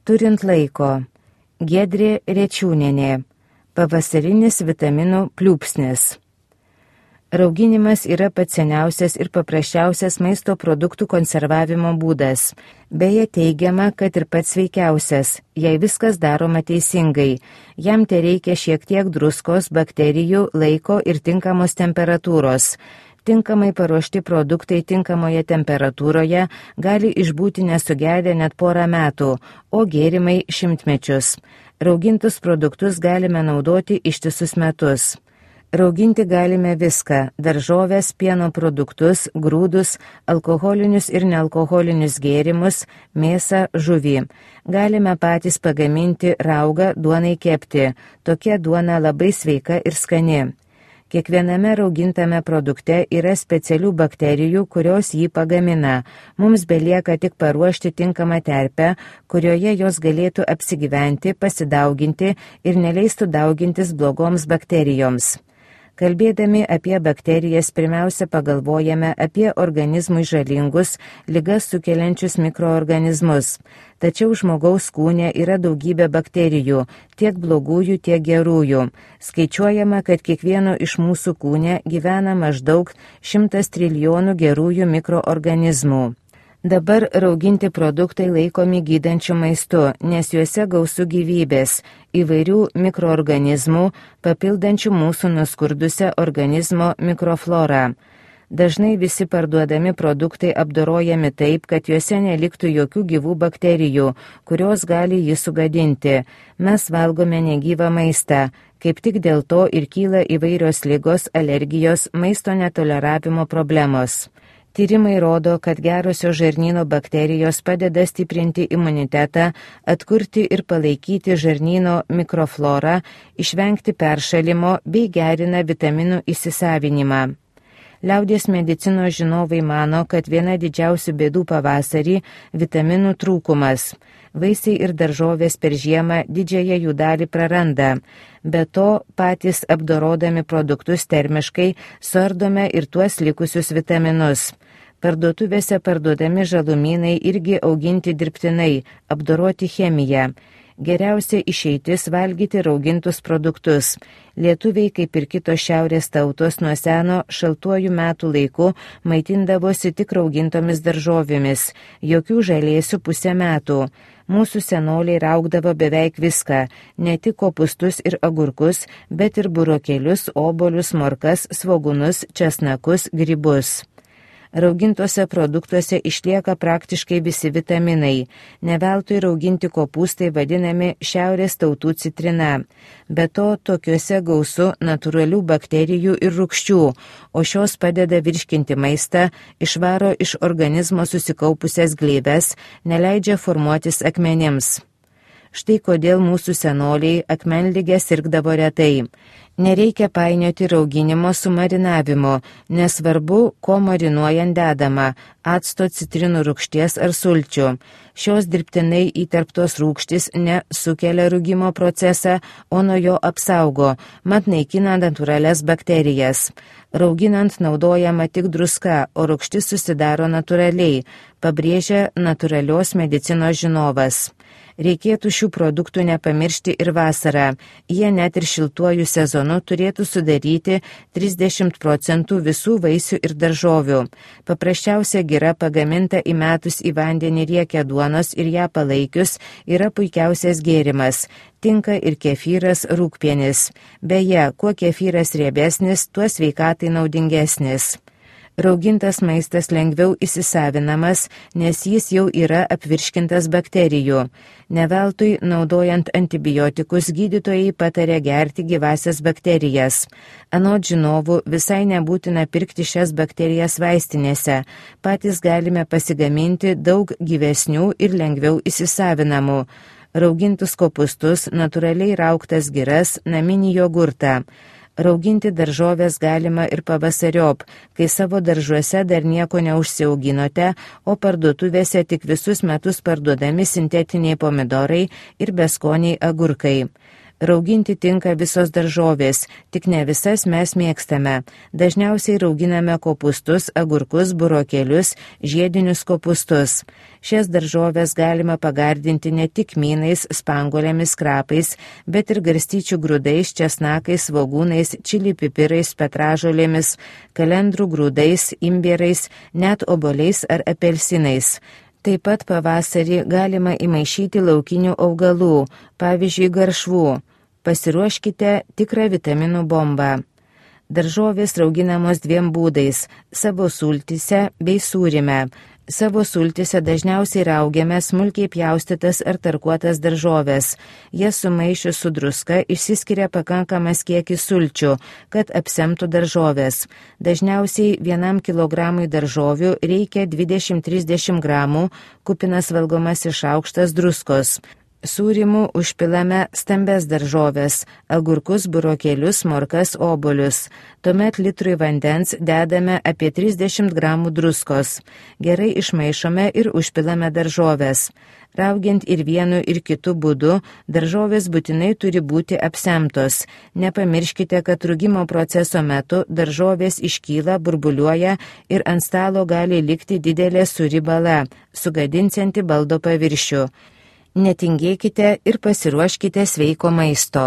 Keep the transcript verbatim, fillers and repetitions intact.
Turint laiko. Giedrė Rečiūnienė. Pavasarinis vitaminų pliūpsnis. Rauginimas yra pats seniausias ir paprasčiausias maisto produktų konservavimo būdas. Beje, teigiama, kad ir pats sveikiausias, jei viskas daroma teisingai. Jam tereikia šiek tiek druskos, bakterijų, laiko ir tinkamos temperatūros. Tinkamai paruošti produktai tinkamoje temperatūroje gali išbūti nesugedę net porą metų, o gėrimai šimtmečius. Raugintus produktus galime naudoti ištisus metus. Rauginti galime viską – daržoves, pieno produktus, grūdus, alkoholinius ir nealkoholinius gėrimus, mėsą, žuvį. Galime patys pagaminti raugą duonai kepti. Tokia duona labai sveika ir skani. Kiekviename raugintame produkte yra specialių bakterijų, kurios jį pagamina. Mums belieka tik paruošti tinkamą terpę, kurioje jos galėtų apsigyventi, pasidauginti ir neleistų daugintis blogoms bakterijoms. Kalbėdami apie bakterijas, pirmiausia pagalvojame apie organizmui žalingus, ligas sukeliančius mikroorganizmus. Tačiau žmogaus kūne yra daugybė bakterijų, tiek blogųjų, tiek gerųjų. Skaičiuojama, kad kiekvieno iš mūsų kūne gyvena maždaug šimtas trilijonų gerųjų mikroorganizmų. Dabar rauginti produktai laikomi gydančių maistu, nes juose gausu gyvybės, įvairių mikroorganizmų, papildančių mūsų nuskurdusią organizmo mikroflorą. Dažnai visi parduodami produktai apdorojami taip, kad juose neliktų jokių gyvų bakterijų, kurios gali jį sugadinti. Mes valgome negyvą maistą. Kaip tik dėl to ir kyla įvairios ligos, alergijos, maisto netoleravimo problemos. Tyrimai rodo, kad gerosios žarnyno bakterijos padeda stiprinti imunitetą, atkurti ir palaikyti žarnyno mikroflorą, išvengti peršalimo bei gerina vitaminų įsisavinimą. Liaudies medicinos žinovai mano, kad viena didžiausių bėdų pavasarį – vitaminų trūkumas. Vaisiai ir daržovės per žiemą didžiąją jų dalį praranda. Be to, patys apdorodami produktus termiškai suardome ir tuos likusius vitaminus. Parduotuvėse parduodami žalumynai irgi auginti dirbtinai, apdoroti chemiją. Geriausia išeitis valgyti raugintus produktus. Lietuviai, kaip ir kitos šiaurės tautos, nuo seno šaltuoju metų laiku maitindavosi tik raugintomis daržovėmis, jokių žalėsių pusę metų. Mūsų senoliai raugdavo beveik viską, ne tik kopūstus ir agurkus, bet ir burokėlius, obuolius, morkas, svogūnus, česnakus, grybus. Raugintuose produktuose išlieka praktiškai visi vitaminai. Ne veltui rauginti kopūstai vadinami šiaurės tautų citrina. Be to, tokiuose gausu natūralių bakterijų ir rūgščių, o šios padeda virškinti maistą, išvaro iš organizmo susikaupusias gleives, neleidžia formuotis akmenims. Štai kodėl mūsų senoliai akmenligę sirgdavo retai. Nereikia painioti rauginimo su marinavimu, nesvarbu, ko marinuojant dedama – acto, citrinų rūgšties ar sulčių. Šios dirbtinai įterptos rūgštys ne sukelia rūgimo procesą, o nuo jo apsaugo, mat naikina natūralias bakterijas. Rauginant naudojama tik druska, o rūgštis susidaro natūraliai, pabrėžia natūralios medicinos žinovas. Reikėtų šių produktų nepamiršti ir vasarą. Jie net ir šiltuoju sezonu turėtų sudaryti trisdešimt procentų visų vaisių ir daržovių. Paprasčiausia gira pagaminta įmetus į vandenį riekę duonos ir ją palaikius yra puikiausias gėrimas. Tinka ir kefyras, rūgpienis. Beje, kuo kefyras riebesnis, tuo sveikatai naudingesnis. Raugintas maistas lengviau įsisavinamas, nes jis jau yra apvirškintas bakterijų. Neveltui, naudojant antibiotikus, gydytojai patarė gerti gyvasias bakterijas. Anot žinovų, visai nebūtina pirkti šias bakterijas vaistinėse. Patys galime pasigaminti daug gyvesnių ir lengviau įsisavinamų. Raugintus kopūstus, natūraliai raugtas giras, naminį jogurtą. Rauginti daržovės galima ir pavasariop, kai savo daržuose dar nieko neužsiauginote, o parduotuvėse tik visus metus parduodami sintetiniai pomidorai ir beskoniai agurkai. Rauginti tinka visos daržovės, tik ne visas mes mėgstame. Dažniausiai rauginame kopustus, agurkus, burokėlius, žiedinius kopustus. Šias daržovės galima pagardinti ne tik kmynais, spanguolėmis, krapais, bet ir garstyčių grūdais, česnakais, svogūnais, čili pipirais, petražolėmis, kalendrų grūdais, imbierais, net obuoliais ar apelsinais. Taip pat pavasarį galima įmaišyti laukinių augalų, pavyzdžiui garšvų. Pasiruoškite tikrą vitaminų bombą. Daržovės rauginamos dviem būdais – savo sultyse bei sūrime. Savo sultyse dažniausiai raugiame smulkiai pjaustytas ar tarkuotas daržovės. Jas sumaišius su druska išsiskiria pakankamas kiekis sulčių, kad apsemtų daržovės. Dažniausiai vienam kilogramui daržovių reikia dvidešimt trisdešimt gramų kupinas valgomasis šaukštas druskos. Sūrimu užpilame stambes daržovės – agurkus, burokėlius, morkas, obuolius. Tuomet litrui vandens dedame apie trisdešimt gramų druskos. Gerai išmaišome ir užpilame daržovės. Raugiant ir vienu ir kitu būdu, daržovės būtinai turi būti apsemtos. Nepamirškite, kad rūgimo proceso metu daržovės iškyla, burbuliuoja ir ant stalo gali likti didelė sūri bala, sugadinsianti baldo paviršių. Netingėkite ir pasiruoškite sveiko maisto.